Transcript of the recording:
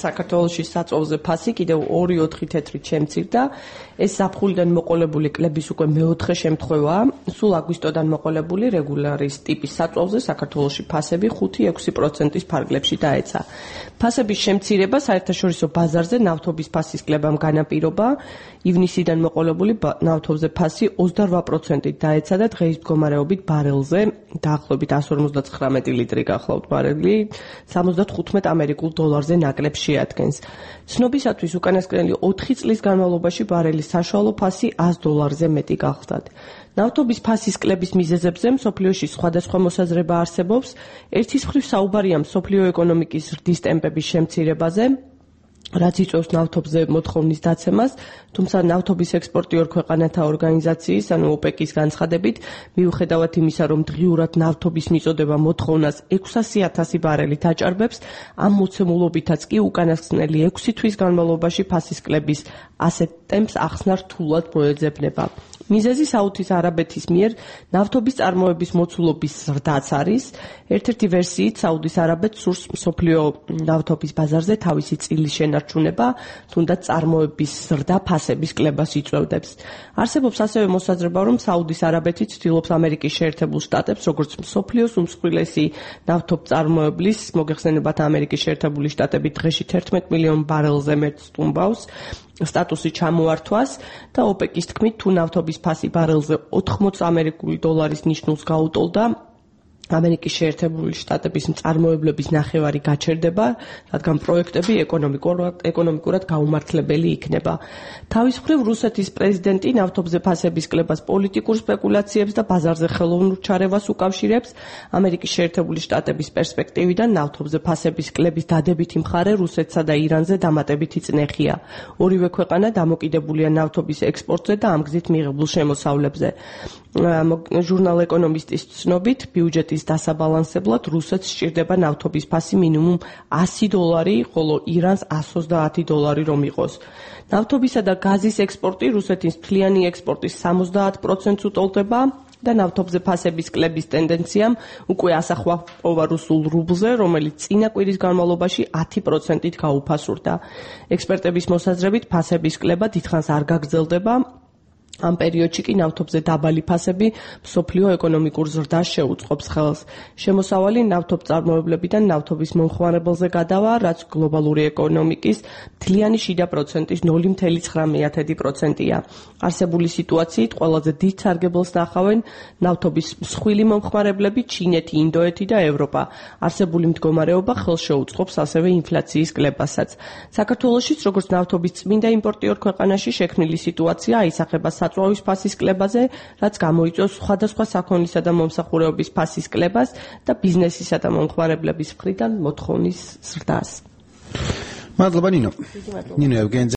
საქართველოში საწვავზე ფასი კიდევ 2-4 თეთრით შემცირდა. ეს ზაფხულიდან მოყოლებული კლების უკვე მეოთხე შემთხვევაა. სულ აგვისტოდან მოყოლებული რეგულარის ტიპის საწვავზე საქართველოში ფასები 5-6%-ის ფარგლებში დაეცა. ფასების შემცირება საერთაშორისო ბაზარზე ნავთობის ფასის კლებამ განაპირობა. ივნისიდან მოყოლებული ნავთობზე ფასი 28%-ით დაეცა და დღეის მდგომარეობით ბარელზე დაახლოებით 159 ლიტრი გახლავთ ბარელი 75 ამერიკულ დოლარზე ნაკლებს შეადგენს. ცნობისათვის უკანასკნელი 4 წლის განმავლობაში ბარელის საშუალო ფასი $100-ზე მეტი გახლდათ. ნავთობის ფასის კლების მიზეზებზე მსოფლიოში სხვადასხვა მოსაზრება არსებობს. ერთის მხრივ საუბარია მსოფლიო ეკონომიკის ზრდის ტემპების შემცირებაზე, რაც იწვევს ნავთობზე მოთხოვნის დაცემას, თუმცა ნავთობის ექსპორტიორ ქვეყანათა ორგანიზაციის, ანუ ოპეკის განცხადებით, მიუხედავად იმისა, რომ დღიურად ნავთობის მიწოდება მოთხოვნას 600,000 ბარელით აჭარბებს, ამ მოცემულობითაც კი უკანასკნელი 6 თვის განმავლობაში ფასის კლების ასეთ ტემპს ახსნა რთულად მოეძებნება. მიზეზი საუდის არაბეთის მიერ ნავთობის წარმოების მოცულობის ზრდაც არის. ერთ-ერთი ვერსიით საუდის არაბეთს სურს მსოფლიო ნავთობის ბაზარზე თავისი წილის შენარჩუნება, თუნდაც წარმოების ზრდა ფასების კლებას იწვევდებს. არსებობს ასევე მოსაზრება, რომ საუდის არაბეთი ცდილობს ამერიკის შეერთებულ შტატებს, როგორც მსოფლიოს უმსხვილესი ნავთობწარმოებლის, მოგეხსენებათ ამერიკის შეერთებული შტატები დღეში 11 მილიონ ბარელზე მეტ სტუმბავს, სტატუსი ჩამოართვას და ოპეკის თქმით, თუ ნავთობის ფასი ბარელზე 80 ამერიკული დოლარის ნიშნულს გაუტოლდა, ამერიკის შეერთებული შტატების მწარმოებლების ნახევარი გაჩერდება, რადგან პროექტები ეკონომიკურად გაუმართლებელი იქნება. თავის მხრივ რუსეთის პრეზიდენტი ნავთობზე ფასების კლებას პოლიტიკურ სპეკულაციებს და ბაზარზე ხელოვნურ ჩარევას უკავშირებს. ამერიკის შეერთებული შტატების პერსპექტივიდან ნავთობზე ფასების კლების დადებითი მხარე რუსეთსა და ირანზე დამატებითი წნეხია. ორივე ქვეყანა დამოკიდებულია ნავთობის ექსპორტზე და ამ გზით მიღებულ შემოსავლებზე. ჟურნალ ეკონომისტის ცნობით, ბიუჯეტის დასაბალანსებლად რუსეთს სჭირდება ნავთობის ფასი მინიმუმ $100, ხოლო ირანს $120 რომ იყოს. ნავთობისა და გაზის ექსპორტი რუსეთის მთლიანი ექსპორტის 70%-ს უტოლდება და ნავთობზე ფასების კლების ტენდენციამ უკვე ასახვა პოვა რუსულ რუბლზე, რომელიც წინა კვირის განმავლობაში 10%-ით გაუფასურდა. ექსპერტების მოსაზრებით ფასების კლება დიდხანს არ გაგრძელდება. ამ პერიოდში კი ნავთობზე დაბალი ფასები მსოფლიო ეკონომიკურ ზრდას შეუწყობს ხელს. შემოსავალი ნავთობწარმოებლებიდან ნავთობის მომხმარებელზე გადავა, რაც გლობალური ეკონომიკის მთლიანი შიდა პროცენტის 0,9%-ია. არსებული სიტუაციით ყველაზე დიდ სარგებელს ნახავენ ნავთობის მსხვილი მომხმარებლები ჩინეთი, ინდოეთი და ევროპა. არსებული მდგომარეობა ხელს შეუწყობს ასევე ინფლაციის კლებასაც. საქართველოშიც როგორც ნავთობის წმინდა იმპორტიორ ქვეყანაში შექმნილი სიტუაცია აისახება საწვავის ფასის კლებაზე, რაც გამოიწვევს სხვადასხვა საქონლისა და მომსახურეობის ფასის კლებას და ბიზნესისა და მომხმარებლების მხრიდან მოთხოვნის ზრდას. მადლობა ნინო. ნინო ევგენიძე